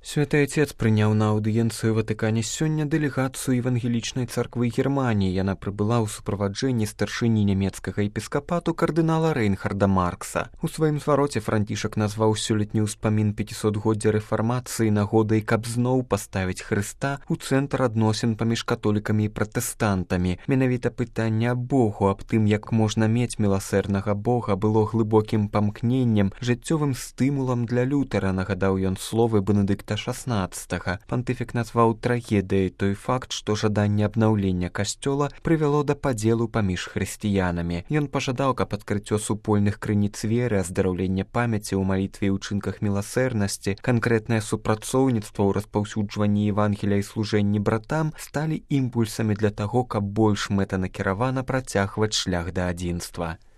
Святы Отец прыняў на аўдыенцыі ў Ватыкане сёння дэлегацыю евангелічнай царквы Германіі. Яна прыбыла ў суправаджэнні старшыні нямецкага епіскапату кардынала Рейнхарда Маркса. У сваім звароце Францішак назваў сёлетні ўспамін 500-годдзя рэфармацыі нагодай, каб зноў паставіць Хрыста ў цэнтр адносін паміж католікамі і пратэстантамі. Менавіта пытанне аб Богу, аб тым, як можна мець міласэрнага Бога, было глыбокім памкненнем, жыццёвым стымулам для Лютера, нагадаў ён словы Бенедыкта XVI. Пантыфік назваў трагедыяй той факт, што жаданне абнаўлення касцёла прывяло да падзелу паміж хрысціянамі. Ён пажадаў, каб адкрыццё супольных крыніц веры, аздараўленне памяці ў малітве і ўчынках міласэрнасці, канкрэтнае супрацоўніцтва ў распаўсюджванні Евангелія і служэнні братам сталі імпульсамі для таго, каб больш мэтанакіравана працягваць шлях да адзінства.